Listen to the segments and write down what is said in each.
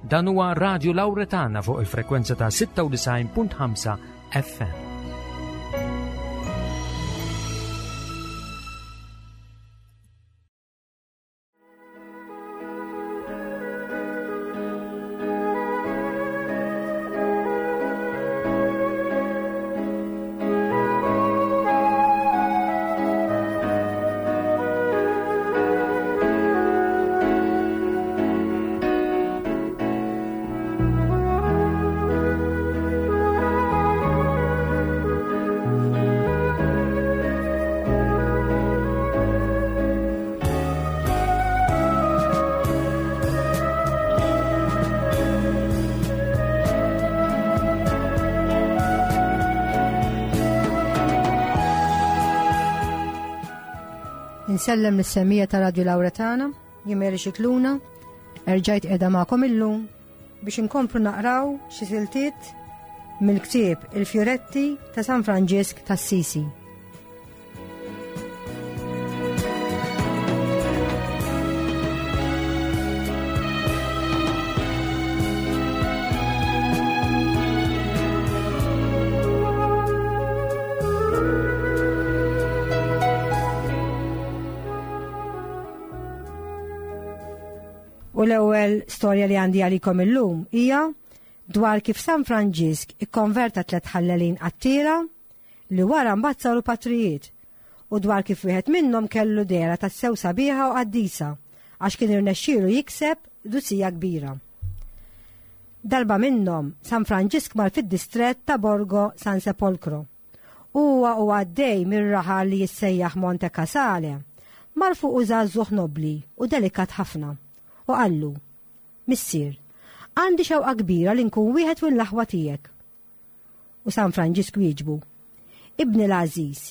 Dan huwa Radio Lauretana fuq il-frekwenza ta' 96.5 FM. Insellem lis-semija ta' Radio Lauretana, jien Mary Xikluna, erġajt qiegħda magħkom illum biex inkomplu naqraw xi siltiet mill-ktieb Il-Fjuretti ta' San Franġisk tas-Sisi. U l-ewwel storja li għandi għalikom illum hija dwar kif San Franġisk ikkonverta tlet ħallelin qattira li wara mbagħad saru patrijiet u dwar kif wieħed minnhom kellu dehra tassew sabiħa u qaddisa għax kien irnexxielu jikseb qdusija kbira. Darba minnhom, San Franġisk mar fid-distrett ta' Borgo San Sepolcro. Huwa u għaddej mir-raħal li jissejjaħ Monte Casale, mar fuqu żagħżugħ nobbli u delikat ħafna u qallu, Missier, għandi xewqa kbira li nkun wieħed mill-aħwa tiegħek. U San Franġisk wieġbu, Ibni l-għażiż,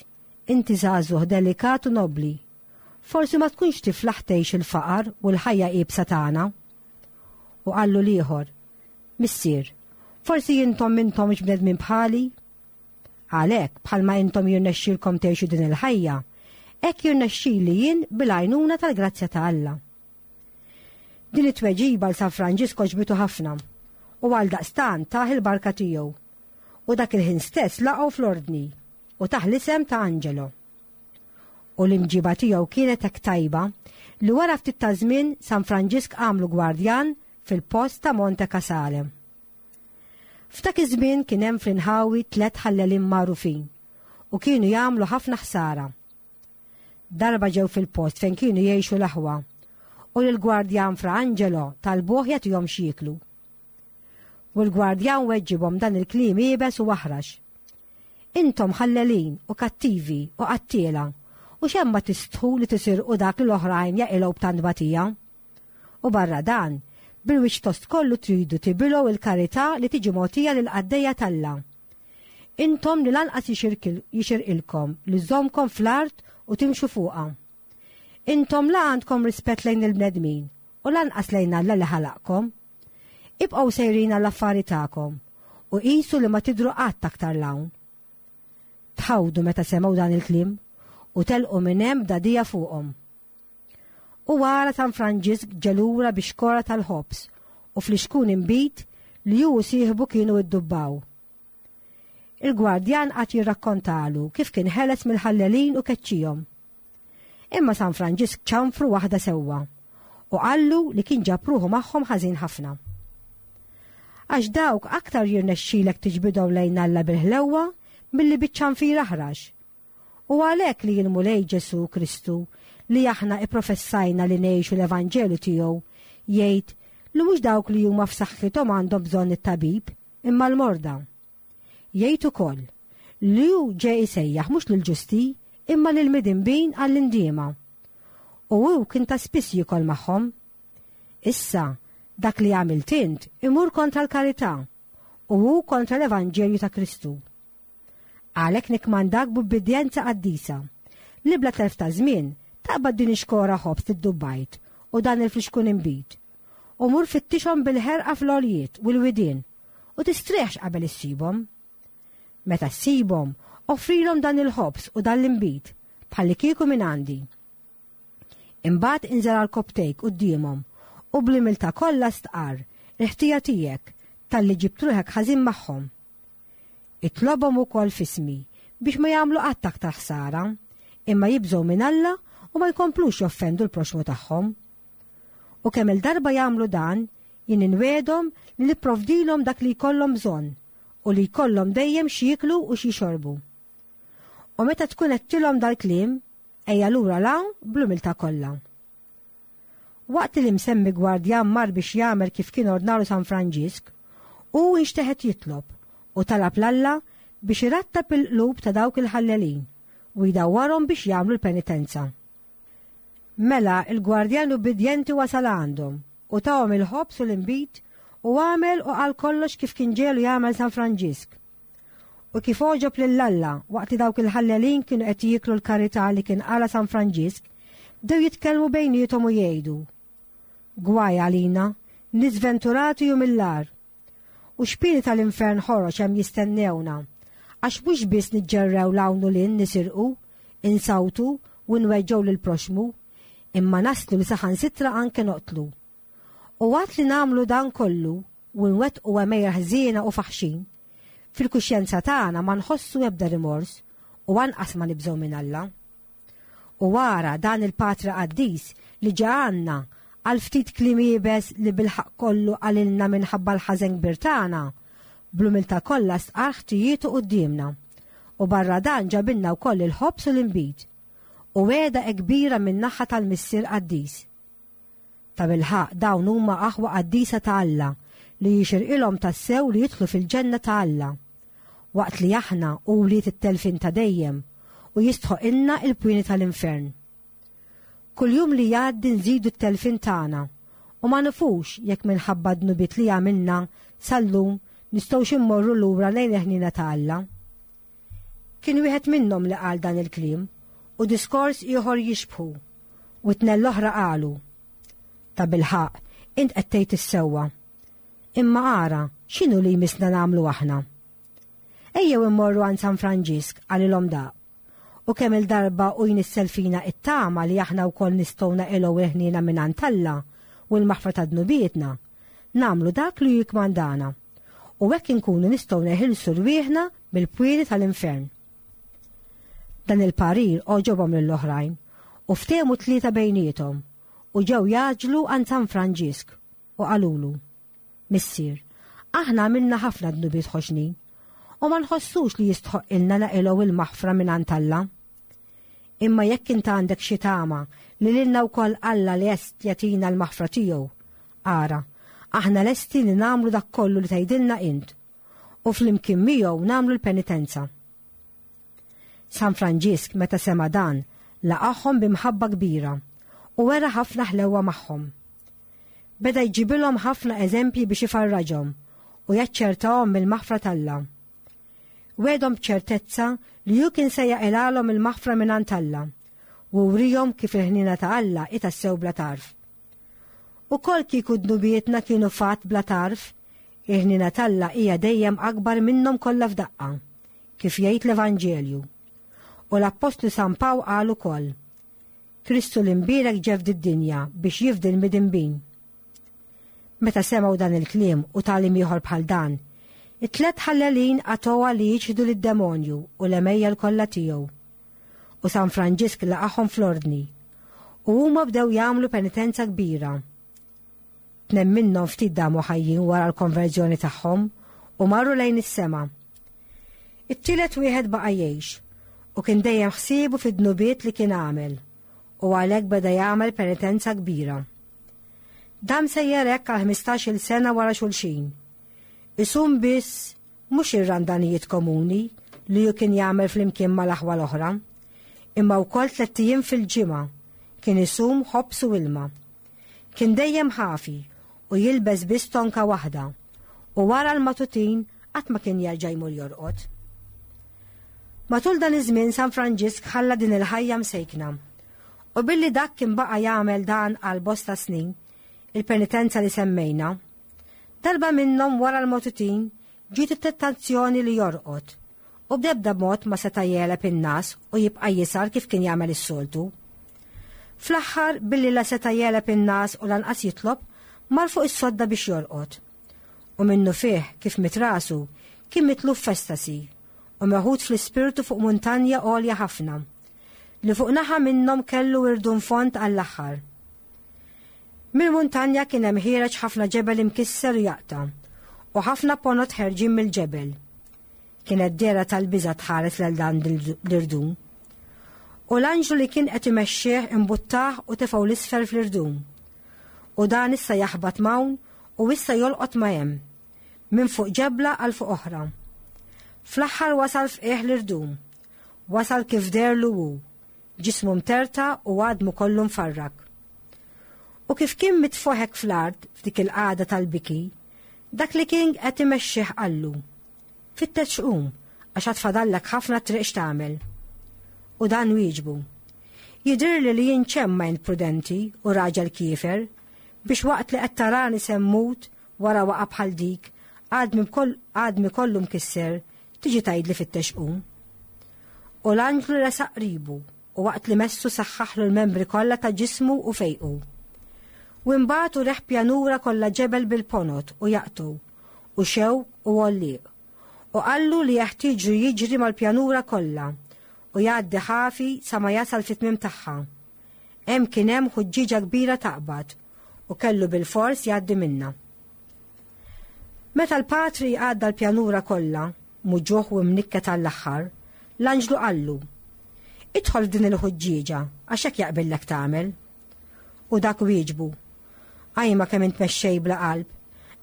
inti żagħżugħ delikat u nobbli. Forsi ma tkunx tiflaħ tgħix il-faqar u l-ħajja iebsa tagħna. U qallu l-ieħor, Missier, forsi intom m'intomx bnedmin bħali? Għalhekk, bħalma intom jirnexxilkom tgħixu din il-ħajja, hekk jirnexxili jien bil-għajnuna tal-grazzja ta' Alla. Din it-tweġiba l San Franġisk għoġbitu ħafna u għaldaqstant tah il-barka tiegħu. U dak il-ħin stess laqgħu fl-ordni u tah l-isem ta' Angelo. U l-imġiba tiegħu kienet hekk tajba li wara ftit ta' żmien San Franġisk għamlu gwardjan fil-post ta' Monte Casale. F'dak iż-żmien kien hemm fl-inħawi tlett ħallelin magħrufin u kienu jagħmlu ħafna ħsara. Darba ġew fil-post fejn kienu jgħixu l-aħwa u lill-gwardjan Fra Angelo talbuh jagħtihom x'jieklu. U l-gwardjan weġġibhom dan il-kliem iebes u aħrax. Intom ħallelin u kattivi u qattiela u xemm ma tistħu li tisirqu dak li l-oħrajn jaqilgħu b'tant batija. U barra dan, bil-wiċċ tost kollu tridu tibilgħu il-karità li tiġi mogħtija lill-qaddejja t'Alla. Intom li lanqas jixirqilkom li żżommkom fl-art u timxu fuqha. Intom la għandkom rispett lejn il-bnedmin u lanqas lejn Alla li ħalaqkom. Ibqgħu sejrin għall-affari tagħkom u qisu li ma tidhru qatt aktar 'l hawn. Tħawdu meta semgħu dan il-kliem u telqu minn hemm b'dagħdigħa fuqhom. U wara San Franġisk ġe lura bi xkora tal-ħobż u flixkun inbid li hu u sieħbu kienu iddubbaw. Il-gwardjan qagħad jirrakkontalu kif kien ħeles mill-ħallelin u keċċihom. Imma San Franġisk ċanfru waħda sewwa u qallu li kien ġab ruħu magħhom ħażin ħafna. Għax dawk aktar jirnexxilek tiġbidhom lejn Alla bil-ħlewwa milli biċ-ċanfir aħrax. U għalhekk li l-Mulej Ġesù Kristu, li aħna ipprofessajna li ngħixu l-Evanġelju tiegħu, jgħid li mhux dawk li huma f'saħħithom għandhom bżonn it-tabib, imma l-morda. Jgħid ukoll li hu ġie jsejjaħ mhux lill-ġusti, imma lill-midinbin għall-indiema. U hu kien ta' spiss jiekol magħhom. Issa, dak li għamilt int imur kontra l-karità, u hu kontra l-Evanġelju ta' Kristu. Għalhekk nikkmandak b'ubbidjenza qaddisa, li bla telf ta' żmien taqbad din ix-xkora ħobż li ddubbajt u dan il-flixkun inbid, u mur fittixhom bil-ħerqa fl-għoljiet u l-widien, u tistrieħx qabel issibhom. Meta ssibhom, offrilhom dan il-ħobż u dan l-inbid, bħallikieku minn għandi. Imbagħad inżel għal kopptejk quddiemhom u bl-umiltà kollha stqarr il-ħtija tiegħek talli ġibt ruħek ħażin magħhom. Itlobhom ukoll f'ismi biex ma jagħmlu qatt aktar ħsara, imma jibżgħu minn Alla u ma jkomplux joffendu l-proxxmu tagħhom. U kemm il-darba jagħmlu dan, jien inwegħedhom li nipprovdilhom dak li jkollhom bżonn u li jkollhom dejjem x'jieklu u x'jixorbu. U meta tkun għedtilhom dal-kliem, ejja lura 'l hawn bl-umiltà kollha. Waqt li l-imsemmi gwardjan mar biex jagħmel kif kien ordnalu San Franġisk, hu inxteħet jitlob u talab 'l Alla biex irattab il-qlub ta' dawk il-ħallelin u jdawwarhom biex jagħmlu l-penitenza. Mela l-gwardjan ubbidjenti wasal għandhom u tahom il-ħobż u l-inbid u għamel u qal kollox kif kien ġegħlu jagħmel San Franġisk. U kif għoġob lil Alla waqt li dawk il-ħallelin kienu qed jieklu l-karità li kien qala San Franġisk, bdew jitkellmu bejniethom u jgħidu, Gwaj għalina, nies sventurati u mill-agħar! U x'pieni tal-infern ħorox hemm jistennewna, għax mhux biss niġġerrew 'l hawn u 'l hinn nisirqu, insawtu u nweġġgħu lill-proxxmu, imma naslu li saħansitra anke noqtlu. U waqt li nagħmlu dan kollu u nwettqu għemejjel ħżiena u faħxin, fil-kuxjenza tagħna ma nħossu ebda rimors u anqas ma nibżgħu minn Alla. U ara dan il-Patri qaddis li ġa għandna għal ftit kliem iebes li bil-ħaqq kollu qalilna minħabba l-ħażen kbir tagħna, bl-umiltà kollha stqarr ħtijietu quddiemna, u barra dan ġabilna wkoll il-ħobż u l-inbid, u wegħda hekk kbira min-naħa tal-Missier qaddis. Tabilħaqq dawn huma aħwa qaddisa ta' Alla li jixirqilhom tassew li jidħlu fil-ġenna ta' Alla, waqt li aħna u wlied it-telfien ta' dejjem u jistħoqilna il-pwieni tal-infern. Kull jum li jgħaddi nżidu t-telfien tagħna u ma nafux jekk minħabba d-dnubiet li għamilna sal-lum nistgħux immorru lura lejn il-ħniena ta' Alla. Kien wieħed minnhom li qal dan il-kliem u diskors ieħor jixbħu, u t-tnejn l-oħra qalu, Tabilħaqq, int qed tgħid is-sewwa. Imma ara, x'inhu li jmissna nagħmlu aħna? Ejjew immorru għand San Franġisk, qalilhom daq. U kemm-il darba hu jnissel fina t-tama li aħna wkoll nistgħu naqilgħu l-ħniena mingħand Alla u l-maħfra ta' dnubietna, nagħmlu dak li hu jikkmandana. U hekk inkunu nistgħu neħilsu rwieħna mill-pwieli tal-infern. Dan il-parir għoġobhom lill-oħrajn u ftehmu t-tlieta bejniethom u ġew jgħaġġlu għand San Franġisk u qalulu, Missier, aħna għamilna ħafna dnubiet ħoxnin u ma nħossux li jistħoqqilna naqilgħu il-maħfra mingħand Alla. Imma jekk int għandek xi tama li lilna wkoll Alla lest jagħtina l-maħfra tiegħu, ara, aħna lesti li nagħmlu dak kollu li tgħidilna int u flimkien miegħu nagħmlu l-penitenza. San Franġisk meta sema' dan laqagħhom bi mħabba kbira u wera ħafna ħlewwa magħhom. Beda jġibilhom ħafna eżempji biex ifarraġhom u jaċċertahom mill-maħfra t'Alla. Wegħedhom b'ċertezza li hu kien se jaqilgħalhom il-maħfra mingħand Alla u wrihom kif il-ħniena ta' Alla hi tassew bla tarf. Ukoll kieku dnubietna kienu fatt bla tarf, il-ħniena t'Alla hija dejjem akbar minnhom kollha f'daqqa, kif jgħid l-Evanġelju. U l-Appostlu San Pawl qal ukoll, Kristu l-Imbierek ġie f'did-dinja biex jifdi l-midinbin. Meta semgħu dan il-kliem u tagħlim ieħor bħal dan, it-tlett ħallelin qatgħuha li jiċħdu lid-demonju u l-għemejjel kollha tiegħu. U San Franġisk laqagħhom fl-ordni, u huma bdew jagħmlu penitenza kbira. Tnejn minnhom ftit damu ħajjin wara l-konverżjoni tagħhom u marru lejn is-sema. It-tielet wieħed baqa' jgħix u kien dejjem ħsiebu fid-dnubiet li kien għamel u għalhekk beda jagħmel penitenza kbira. Dam sejjer hekk għal 15-il sena wara xulxin. Isum biss mhux ir-randanijiet komuni li hu kien jagħmel flimkien mal-aħwa l-oħra, imma wkoll tlett ijiem fil-ġimgħa kien isum ħobż u ilma. Kien dejjem ħafi u jilbes biss tonka waħda, u wara l-matutin qatt ma kien jerġa' jmur jorqod. Matul dan iż-żmien San Franġisk ħalla din il-ħajja msejkna. U billi dak kien baqa' jagħmel dan għal bosta snin, il-penitenza li semmejna, darba minnhom wara l-matutin ġiet it-tentazzjoni li jorqod, u b'ebda mod ma seta' jegħleb in-ngħas u jibqa' jisgħar kif kien jagħmel is-soltu. Fl-aħħar, billi la seta' jegħleb in-ngħas u lanqas jitlob, mar fuq is-sodda biex jorqod. U minnufih kif miet rasu, kien mitluf f'estasi u meħud fl-ispirtu fuq muntanja għolja ħafna, li fuq naħa minnhom kellu irdum fond għall-aħħar. Mill-muntanja kien hemm ħiereġ ħafna ġebel imkisser u jaqta', u ħafna ponot ħerġin mill-ġebel. Kienet dehra tal-biża' tħares lil dan l-irdum. U l-anġlu li kien qed imexxih imbuttah u tefgħu l-isfel fl-irdum. U dan issa jaħbat m'hawn u issa jolqot ma' hemm, minn fuq ġebla għal fuq oħra. Fl-aħħar wasal f'qiegħ l-irdum. Wasal kif deherlu hu, ġismu mterta u għadmu kollu mfarrak. U kif kien mitfugħ hekk fl-art f'dik il-qagħda tal-biki, dak li kien qed imexxih qallu, Fittex qum, għax għad fadallek ħafna triq x'tagħmel. U dan wieġbu, Jidhirli li jien ċemma int prudenti u raġel kiefer, biex waqt li qed tarani se mmut wara waqa' bħal dik, għadmi kollu mkisser, tiġi tgħidli fittex qum. U l-anġlu resaq qribu u waqt li messu saħħaħlu l-membri kollha ta' ġismu u fejqu. U imbagħad u reħ pjanura kollha ġebel bil-ponot u jaqtgħu, u xewk u għollieq. U qallu li jeħtieġu jiġri mal-pjanura kollha u jgħaddi ħafi sa ma jasal fit-tmiem tagħha. Hemm kien hemm ħuġġieġa kbira taqbad u kellu bilfors jgħaddi minnha. Meta l-patri għadda l-pjanura kollha, muġugħ u mnikket għall-aħħar, l-anġlu qallu, Idħol f'din il-ħuġġieġa għax hekk jaqbillek tagħmel. U dak wieġbu, Ajma kemm int mexxej bla qalb,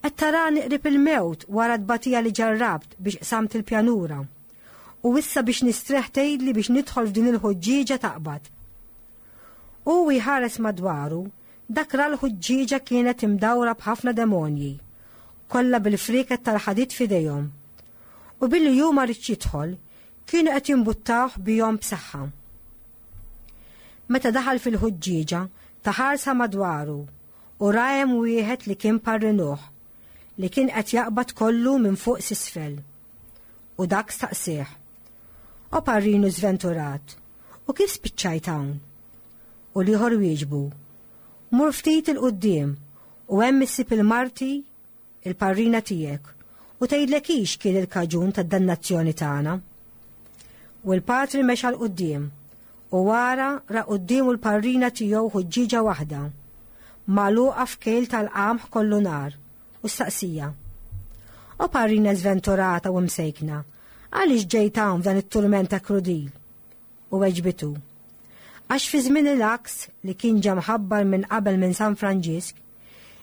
qed tarani qrib il-mewt wara t-tbatija li ġarrabt biex qsamt il-pjanura. U issa biex nistrieħ tgħidli biex nidħol f'din il-ħuġġieġa taqbad. Hu u jħares madwaru, dak ra l-ħuġġieġa kienet imdawra b'ħafna demonji, kollha bil-frieket tal-ħadid f'idejhom. U billi hu ma ridx jidħol, kienu qed jimbuttawh bihom b'saħħa. Meta daħal fil-ħuġġieġa, ta ħarsa madwaru u ra hemm wieħed li kien parrinuh, li kien qed jaqbad kollu minn fuq s'isfel. U dak staqsieh, O parrinu żventurat, u kif spiċċajt hawn? U l-ieħor wieġbu, Mur ftit 'il quddiem u hemm issib il-marti, il-parrina tiegħek, u tgħidlek hi x'kien il-kaġun tad-dannazzjoni tagħna. U l-patri mexa 'l quddiem u wara ra quddiemu l-parrina tiegħu ħuġġieġa waħda, magħluqa f'kejl tal-qamħ kollu nar, u staqsija. O parrina żventurata u msejkna, għaliex ġejt hawn f'dan it-turment ta' krudil? U weġbitu, Għax fi żmien il-għaks li kien ġa mħabbar minn qabel minn San Franġisk,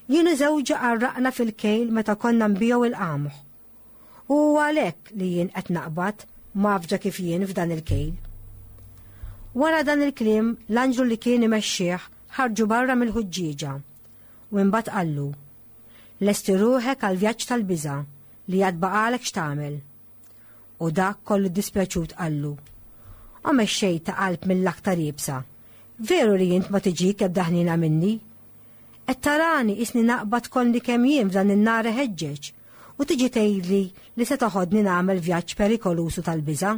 jien u żewġi qarraqna fil-kejl meta konna nbigħu il-qamħ. U huwa għalhekk li jien qed naqbad mgħaffġa kif jien f'dan il-kejl. Wara dan il-kliem, l-anġlu li kien imexxih ħarġu barra mill-ħuġġieġa u imbagħad qallu, Lesti ruħek għall-vjaġġ tal-biża' li għad baqagħlek x'tagħmel. U dak kollu ddispjaċut qallu, O mexxej ta' qalb mill-aktar iebsa, veru li int ma tiġik ebda ħniena minni? Qed tarani qisni naqbad kollni kemm jien f'dan in-nar iħeġġeġ u tiġi tgħidli li se toħodni nagħmel vjaġġ perikoluż u tal-biża'?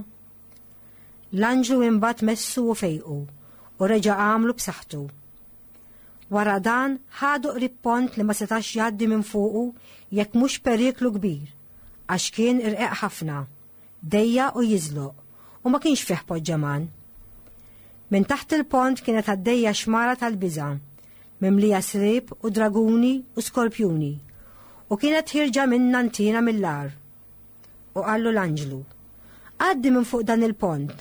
L-anġlu imbagħad messu u fejqu u reġa' għamlu b'saħħtu. Wara dan ħadu qrib pont li ma setax jgħaddi minn fuqu jekk mhux periklu kbir, għax kien irqeq ħafna, dejjaq u jiżloq, u ma kienx fih poġġaman. Minn taħt il-pont kienet għaddejja xmara tal-biża', mimlija sriep u draguni u skorpjuni, u kienet ħierġa minnha ntiena mill-agħar. U qallu l-anġlu, Għaddi minn fuq dan il-pont,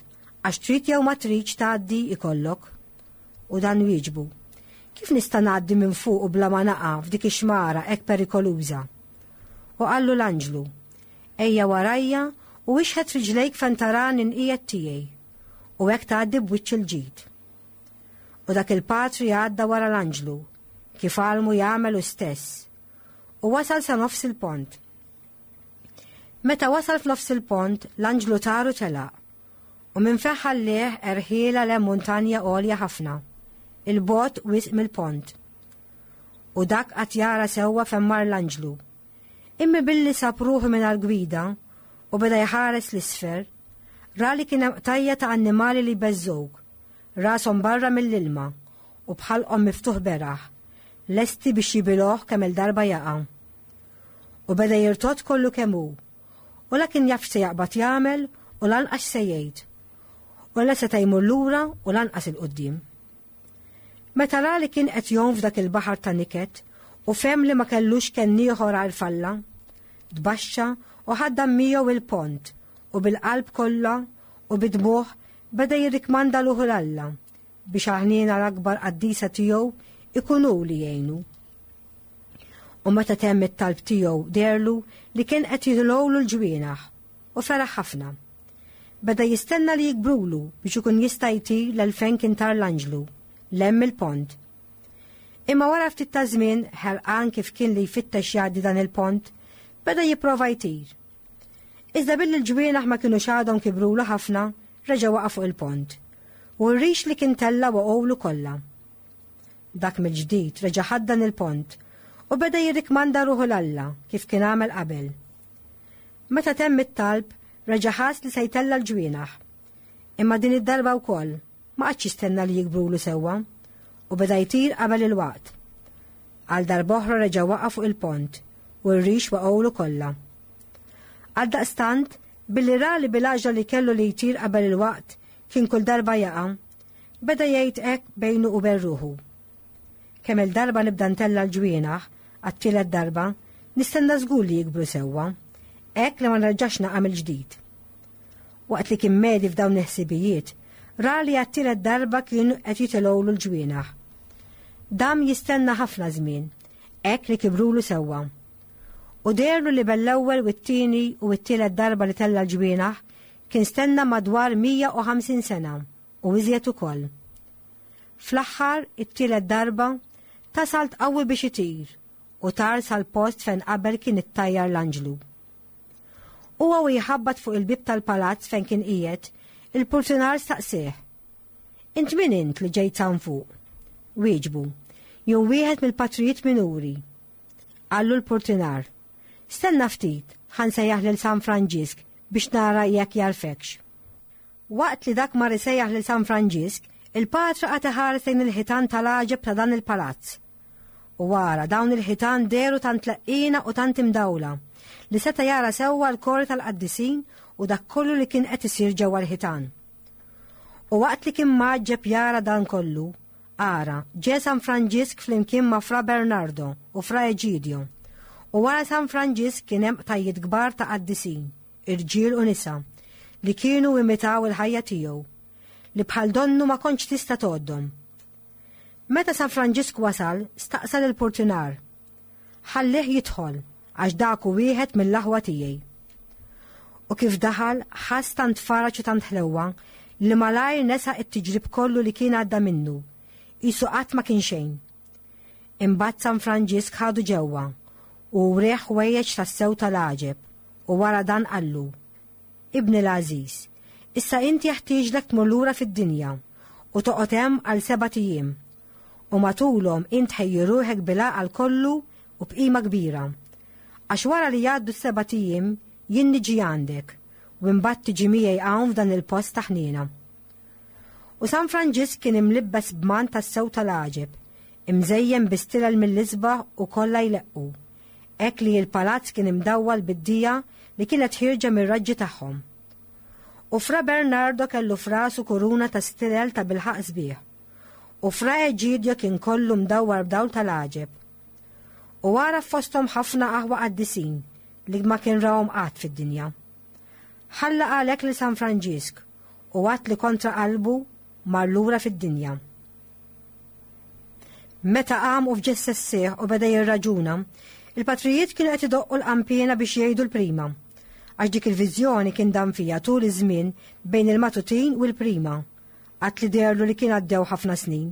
għax trid jew ma tridx tgħaddi ikollok. U dan wieġbu, Kif nista' ngħaddi minn fuqu bla ma naqa' f'dik ix-xmara hekk perikoluża? U qallu l-anġlu, Ejja warajja u ixħet riġlejk fejn tarani nqiegħed tiegħi, u hekk tgħaddi b'wiċċ il-ġid. U dak il-patri għadda wara l-anġlu, kif għallmu jagħmel hu stess, u wasal sa nofs il-pont. Meta wasal f'nofs il-pont, l-anġlu tar u telaq, u minn fejn ħallieh erħielha 'l hemm muntanja għolja ħafna, 'il bogħod wisq mill-pont. U dak qagħad jara sewwa fejn mar l-anġlu. Imma billi sab ruħu mingħajr gwida u beda jħares 'l isfel, ra li kien hemm qtajja' ta' annimali li jbeżżgħuk, rashom barra mill-ilma u b'ħalqhom miftuħ beraħ, lesti biex jibilgħuh kemm-il darba jaqa'. U beda jirtod kollu kemm hu. U la kien jaf x'se jaqbad jagħmel u lanqas x'se jgħid. U la seta' jmur lura u lanqas 'il quddiem. Meta ra li kien qed jgħum f'dak il-baħar ta' niket u fehem li ma kellux kenn ieħor għajr f'Alla, tbaxxa u ħaddam miegħu il-pont u bil-qalb kollha u bid-dmugħ beda jirrikmanda ruħu 'l Alla biex għall-ħniena l-akbar qaddisa tiegħu ikun hu li jgħinu. U meta temm it-talb tiegħu deherlu li kien qed jitilgħulu l-ġwienaħ u feraħ ħafna. Beda jistenna li jikbrulu biex ikun jista' jtir lil fejn kien tar l-anġlu, 'l hemm il-pont. Imma wara ftit ta' żmien, ħerqan kif kien li jfittex jgħaddi dan il-pont, beda jipprova jtir. Iżda billi l-ġwienaħ ma kinux għadhom kibrulu ħafna, reġa' waqa' fuq il-pont. U r-rix li kien tella' waqgħulu kollha. Dak mill-ġdid reġa' ħaddan il-pont u beda jirrikmanda ruħu 'l Alla kif kien għamel qabel. Meta temm it-talb, reġa' ħass li se jtella' l-ġwienaħ. Imma din id-darba wkoll, ma qagħadx jistenna li jikbrulu sewwa, u beda jtir qabel il-waqt. Għal darb'oħra reġa' waqa' fuq il-pont, u r-rix waqgħulu kollha. Għaldaqstant, billi ra li bil-għaġla li kellu li jtir qabel il-waqt kien kull darba jaqa', beda jgħid hekk bejnu u bejn ruħu. Kemm-il darba nibda ntella' l-ġwienaħ, għat-tielet darba, nistenna żgur li jikbru sewwa, hekk li ma nerġax naqa' mill-ġdid. Waqt li kien medi f'dawn il-ħsibijiet, ra li għat-tielet darba kienu qed jitilgħulu l-ġwienaħ. Dam jistenna ħafna żmien, hekk li kibrulu sewwa. U deherlu li bel-ewwel u t-tieni u t-tielet darba li tella' l-ġwienaħ kien stenna madwar 150 sena u iżjed ukoll. Fl-aħħar, it-tielet darba, ta salt qawwi biex itir u tar sal-post fejn qabel kien ittajjar l-anġlu. Huwa u jħabbat fuq il-bieb tal-palazz fejn kien qiegħed, il-purtinar staqsieh. Int min int li ġejt hawn fuq? Wieġbu, Jien wieħed mill-patrijiet minuri. Qallu l-purtinar, Stenna ftit, ħa nsejjaħ lil San Franġisk biex nara jekk jagħrfekx. Waqt li dak mar isejjaħ lil San Franġisk, il-patra qagħad iħares lejn il-ħitan tal-għaġeb ta' dan il-palazz. U ara, dawn il-ħitan dehru tant leqqiena u tant imdawla, li seta' jara sewwa l-kori tal-qaddisin u dak kollu li kien qed isir ġewwa l-ħitan. U waqt li kien mgħaġġeb jara dan kollu, ara, ġie San Franġisk flimkien ma' Fra Bernardo u Fra Eġidio. U wara San Franġisk kien hemm qtajjiet kbar ta' qaddisin, irġiel u nisa, li kienu imitaw il-ħajja tiegħu, li bħal donnu ma kontx tista' tgħoddhom. Meta San Franġisk wasal, staqsa lill-purtinar, Ħallih jidħol, għax dak hu wieħed mill-aħwa tiegħi. U kif daħal, ħass tant faraġ u tant ħlewwa li malajr nesa t-tiġrib kollu li kien għadda minnu, qisu qatt ma kien xejn. Imbagħad San Franġisk ħadu ġewwa u wrieh ħwejjeġ tassew tal-għaġeb u wara dan qallu, Ibni l-għażiż, issa int jeħtieġlek tmur lura fid-dinja u toqgħod hemm għal sebat ijiem, u matulhom int ħejji ruħek bil-għaqal kollu u b'qima kbira. Għax wara li jgħaddu s-sebat ijiem jien niġi għandek, u imbagħad tiġi miegħi hawn f'dan il-post ta' ħniena. U San Franġisk kien imlibbes b'mant tassew tal-għaġeb, imżejjen bi stilel mill-isbaħ u kollha jleqqu, hekk li l-palazz kien imdawwal bid-dija li kienet ħierġa mir-raġġi tagħhom. U Fra Bernardo kellu f'rasu kuruna ta' stilel tabilħaqq sbieħ, u Fra Eġidio kien kollu mdawwar b'dawl tal-għaġeb. U għaraf fosthom ħafna aħwa qaddisin li ma kien rahom qatt fid-dinja. Ħalla għalhekk lil San Franġisk u għad li kontra qalbu mar lura fid-dinja. Meta qam u f'ġessessih u beda jirraġuna, il-patrijiet kienu qed idoqqu l-qanpiena biex jgħidu l-prima. Għax dik il-viżjoni kien dam fiha tul iż-żmien bejn il-matutin u l-prima, għad li deherlu li kien għaddew ħafna snin.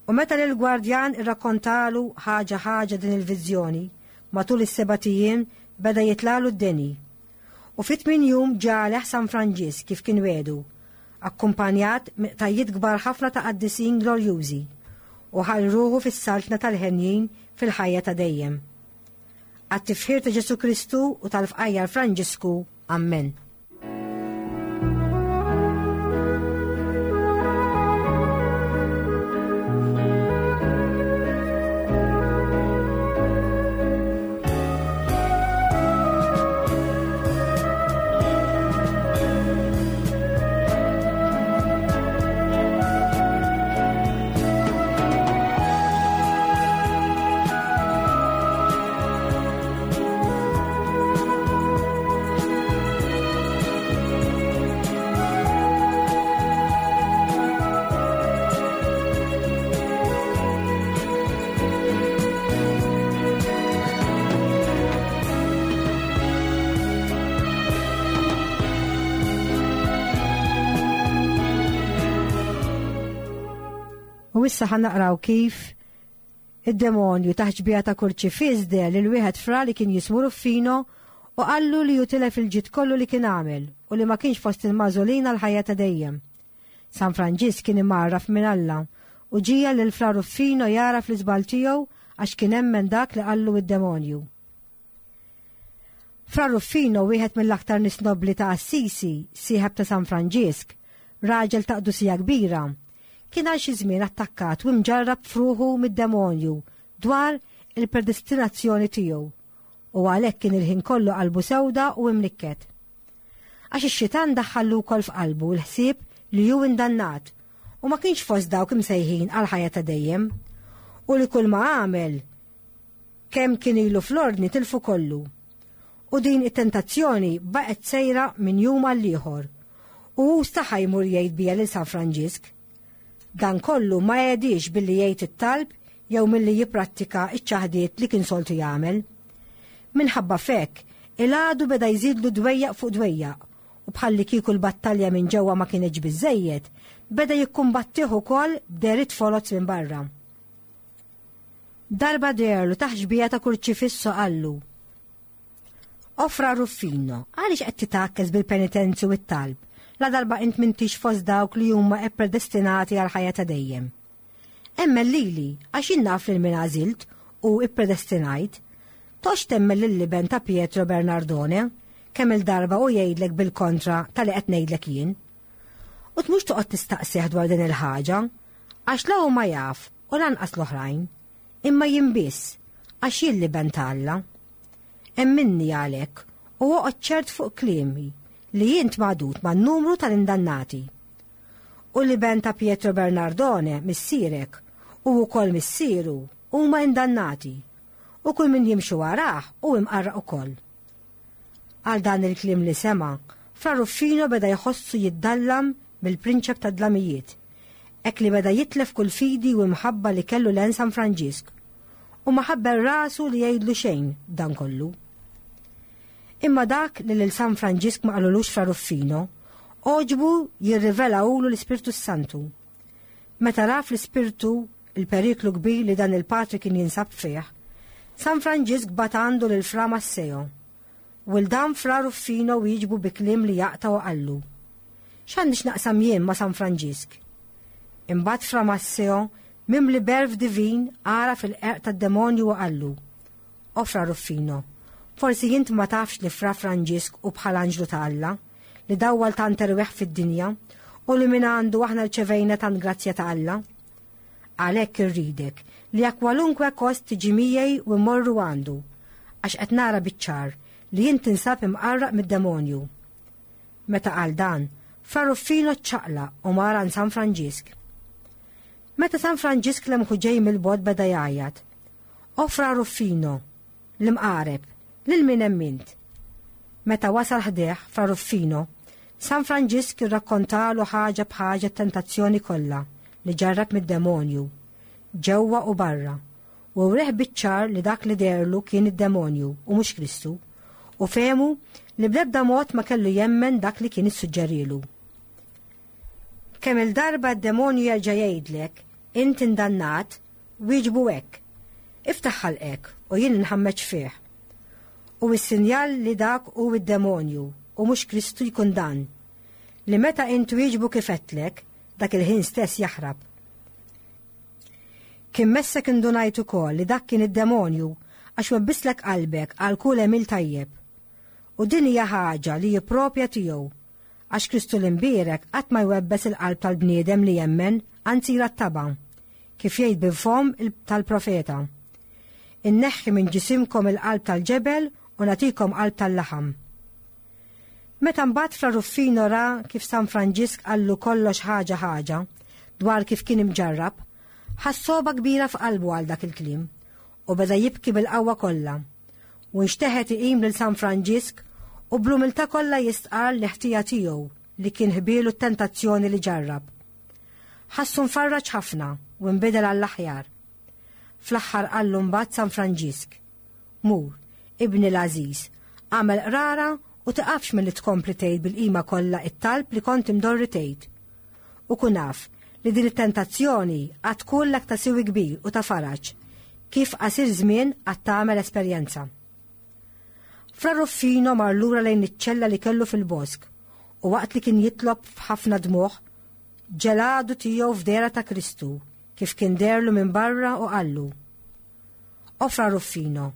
U meta lill-gwardjan irrakkontalu ħaġa ħaġa din il-viżjoni, matul is-sebat ijiem beda jitlagħlu d-deni. U fit-tmien jum ġa għalih San Franġisk kif kien wiegħdu, akkumpanjat minn qtajjiet kbar ħafna ta' qaddisin glorjużi, u ħall ruħu fis-saltna tal-henjin fil-ħajja ta' dejjem. Għat-tifħir ta' Ġesù Kristu u tal-fqajjar Franġisku. Ammen. U issa ħa naqraw kif id-demonju taħt xbieha ta' kurċifiss deher lil wieħed fra li kien jismu Ruffino u qallu li hu tilef il-ġid kollu li kien għamel u li ma kienx fost il-magħżulin għall-ħajja ta' dejjem. San Franġisk kien imgħarraf minn Alla u ġiegħel lil Fra Ruffino jagħraf l-iżball tiegħu għax kien emmen dak li qallu id-demonju. Fra Ruffino, wieħed mill-aktar nies nobbli ta' Assisi, sieħeb ta' San Franġisk, raġel ta' qdusija kbira, kien għal xi żmien attakkat u mġarrab f'ruħu mid-demonju dwar il-predestinazzjoni tiegħu u għalhekk kien il-ħin kollu qalbu sewda u imnikket. Għax ix-xitan daħħallu wkoll f'qalbu l-ħsieb li hu indannat u ma kienx fost dawk imsejħin għal ħajja ta' dejjem u li kull ma għamel kemm kien ilu fl-ordni tilfu kollu. U din it-tentazzjoni baqgħet sejra minn jum għal ieħor u hu staħa jmur jgħid bija lil San Franġisk. Dan kollu ma għediex billi jgħid it-talb jew milli jipprattika ċ-ċaħdiet li kien soltu jagħmel. Minħabba f'hekk, il-għadu beda jżidlu dwejjaq fuq dwejjaq u bħallikieku l-battalja minn ġewwa ma kinitx biżżejjed, beda jikkumbattih ukoll b'dehriet foloz minn barra. Darba deherlu taħt xbieha ta' kurċifiss u qallu, O Fra Ruffino, għaliex qed titgħakkes bil-penitenzi u t-talb, ladarba int m'intix fost dawk li huma ppredestinati għall-ħajja ta' dejjem? Emmen lili, għax jien naf lil min għażilt u ppredestinajt. Toqgħodx temmen lill-iben ta' Pietro Bernardone, kemm-il darba hu jgħidlek bil-kontra ta' li qed ngħidlek jien. U tmurx toqgħod tistaqsih dwar din il-ħaġa, għax la hu ma jaf u lanqas l-oħrajn, imma jien biss, għax jien l-iben ta' Alla. Emminni għalhekk u oqgħod ċert fuq kliemi li int magħdud man-numru tal-indannati. U l-iben ta' Pietro Bernardone, missierek, u wkoll missieru, huma indannati, u kull min jimxi warah hu imqarraq ukoll. Għal dan il-kliem li sema', Fra Ruffino beda jħossu jiddallam mill-prinċep tad-dlamijiet, hekk li beda jitlef kull fidi u imħabba li kellu lejn San Franġisk, u ma ħabbel rasu li jgħidlu xejn b'dan kollu. Imma dak li lil San Franġisk ma qalulux Fra Ruffino, għoġbu jirrivelahulu l-Ispirtu s-Santu. Meta ra fl-Ispirtu l-periklu kbir li dan il-patri kien jinsab fih, San Franġisk bagħat għandu lil Fra Masseo. U 'l dan Fra Ruffino wieġbu bi kliem li jaqta' u qallu, X'għandi x'naqsam jien ma' San Franġisk? Imbagħad Fra Masseo, mimli b'għerf divin, għaraf il-qerq tad-demonju u qallu, O Fra Ruffino, forsi int ma tafx li Fra Franġisk hu bħal anġlu ta' Alla, li dawwal tant erwieħ fid-dinja u li minn għandu aħna rċevejna tant grazzja ta' Alla? Għalhekk irridek li a kwalunkwe kost tiġi miegħi u mmorru għandu, għax qed nara biċ-ċar li int tinsab imqarraq mid-demonju. Meta qal dan, Fra Ruffino ċċaqlaq u mar għand San Franġisk. Meta San Franġisk lemħu ġej mill-bogħod beda jgħajjat, O Fra Ruffino, l-imqareb, lil min emmint? Meta wasal ħdejh Fra Ruffino, San Franġisk irrakkontalu ħaġa b'ħaġa t-tentazzjoni kollha li ġarrab mid-demonju, ġewwa u barra, u wrieh biċ-ċar li dak li deherlu kien id-demonju u mhux Kristu, u fehmu li bl-ebda mod ma kellu jemmen dak li kien issuġġerielu. Kemm-il darba d-demonju jerġa' jgħidlek, int indannat, Wieġbu hekk, Iftaħ ħalqek u jien inħammeġ fih. U s-sinjal li dak hu d-demonju u mhux Kristu jkun dan, li meta int twieġbu kif għedtlek, dak il-ħin stess jaħrab. Kien messek indunajt ukoll li dak kien id-demonju għax webbislek qalbek għal kull għemil tajjeb. U din hija ħaġa li hi proprja tiegħu Għax Kristu l-Imbierek qatt ma jwebbes il-qalb tal-bniedem li jemmen, anzi jrattabha, kif jgħid bil-fomm tal-profeta. Inneħħi minn ġisimkom il-qalb tal-ġebel u nagħtikom qalb tal-laħam. Meta mbagħad Fra Ruffino ra kif San Franġisk qallu kollox ħaġa ħaġa dwar kif kien imġarrab, ħass sogħba kbira f'qalbu għal dak il-kliem u beda jibki bil-qawwa kollha. U nxteħet iqim lil San Franġisk u bl-umiltà kollha jistqarr l-ħtija tiegħu li kien ħbielu t-tentazzjoni li ġarrab. Ħassu mfarraġ ħafna u nbidel għall-aħjar. Fl-aħħar qallu mbagħad San Franġisk, Mur, ibni l-għażiż, agħmel qrara u tiqafx milli tkompli tgħid bil-qima kollha t-talb li kont imdorri tgħid. U kun af li din it-tentazzjoni għad tkunlek ta' siwi kbir u ta' faraġ, kif qasir żmien għad tagħmel esperjenza. Fra Ruffino mar lura lejn iċ-ċella li kellu fil-bosk u waqt li kien jitlob f'ħafna dmugħ, ġeladu tiegħu f'dehra ta' Kristu kif kien deherlu minn barra u qallu, O Fra Ruffino,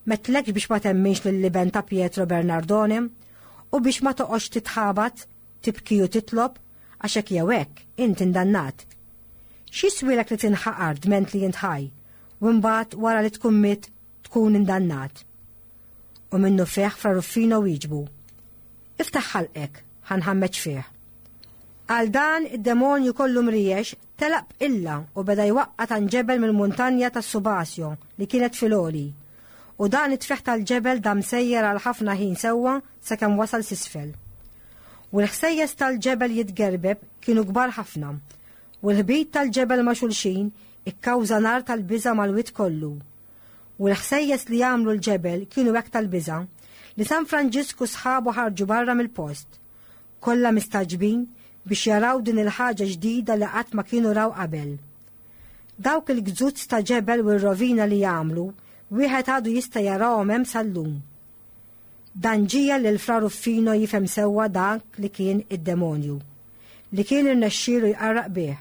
m'għedtlekx biex ma temminx lill-iben ta' Pietro Bernardone u biex ma toqgħodx titħabat, tibki u titlob, għax hekk jew hekk, int indannat. X'jiswielek li tinħaqar dment li int ħaj, u imbagħad wara li tkun mitt tkun indannat? U minnufih Fra Ruffino wieġbu, Iftaħ ħalqek, ħa nħammeġ fih. Għal dan id-demonju kollu mriex telaq b'qilla u beda jwaqqa' tanġebel mill-muntanja tas-Subasio li kienet fil-għoli. U dan it-tfigħ tal-ġebel dam sejjer għal ħafna ħin sewwa sakemm wasal s'isfel. U l-ħsejjes tal-ġebel jitgerbeb kienu kbar ħafna, u l-ħbit tal-ġebel ma' xulxin ikkawża nar tal-biża' mal-wied kollu. U l-ħsejjes li għamlu l-ġebel kienu hekk tal-biża' li San Franġisk u sħabu ħarġu barra mill-post, kollha mistagħġbin biex jaraw din il-ħaġa ġdida li qatt ma kienu raw qabel. Dawk il-gzuzz ta' ġebel u r-rovina li għamlu, wieħed għadu jista' jarahom hemm sal-lum. Dan ġiegħel lil Fra Ruffino jifhem sewwa dak li kien id-demonju, li kien irnexxielu jqarraq bih.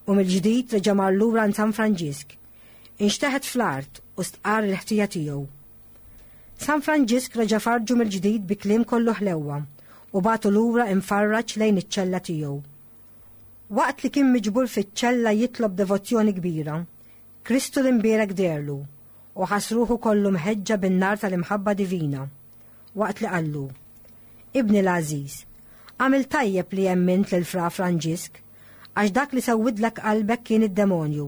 U mill-ġdid reġa' mar lura għand San Franġisk. Inxteħet fl-art u stqarr il-ħtija tiegħu. San Franġisk reġa' farġu mill-ġdid bi kliem kollu ħlewwa u bagħtu lura imfarraġ lejn iċ-ċella tiegħu. Waqt li kien miġbur fiċ-ċella jitlob devozzjoni kbira, Kristu l-Imbierek deherlu u ħass ruħu kollu mħeġġa bin-nar tal-imħabba divina, waqt li qallu, Ibni l-għażiż, għamilt tajjeb li emmint lil Fra Franġisk, għax dak li sewwidlek qalbek kien id-demonju.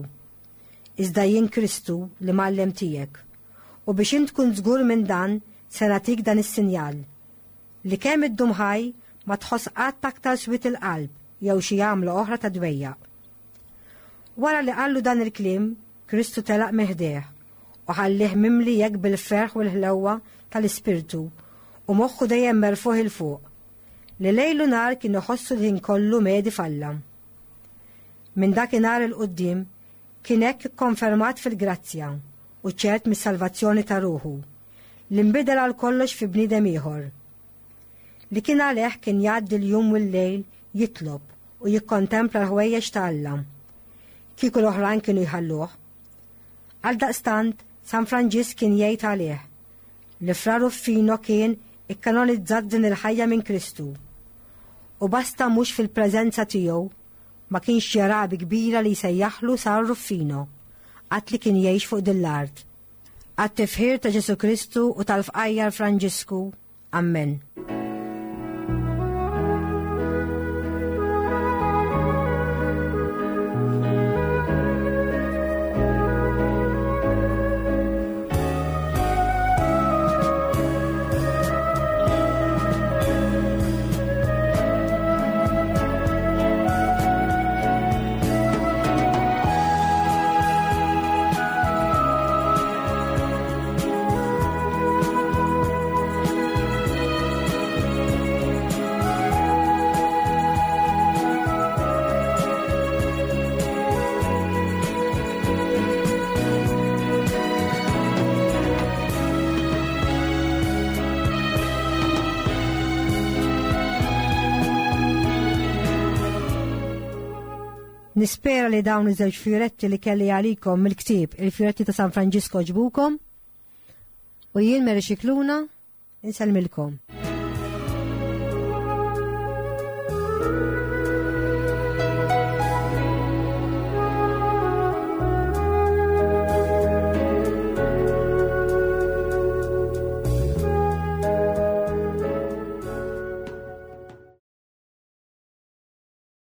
Iżda jien Kristu l-Imgħallem tiegħek, u biex int tkun żgur minn dan se nagħtik dan is-sinjal, li kemm iddum ħaj ma tħoss qatt aktar swied il-qalb jew xi għamla oħra ta' dwejjaq. Wara li qallu dan il-kliem, Kristu telaq minn ħdejh u ħallieh mimli hekk bil-ferħ u l-ħlewwa tal-Ispirtu u moħħu dejjem merfugħ 'il fuq, li lejl u nhar kien iħossu l-ħin kollu medi f'Alla. Minn dakinhar 'il quddiem kien hekk ikkonfermat fil-grazzja u ċert mis-salvazzjoni ta' ruħu, li nbidel għal kollox fi bniedem ieħor. Li kien għalih kien jgħaddi l-jum u l-lejl jitlob u jikkontempla l-ħwejjeġ ta' Alla. Kieku l-oħrajn kienu jħalluh. Għaldaqstant, San Franġisk kien jgħid għalih li Fra Ruffino kien ikkanonizzat din il-ħajja minn Kristu. U basta mhux fil-preżenza tiegħu ma kienx jara bi kbira li jsejjaħlu San Ruffino, qatt li kien jgħix fuq din l-art. Għat-tifħir ta' Ġesù Kristu u tal-fqajjar Franġisku, Amen. Nispera li dawn iż-żewġ fjuretti li kelli għalikom mill-ktieb Il-Fjuretti ta' San Franġisko ġbukom. U jien Mary Scicluna, insellmilkom.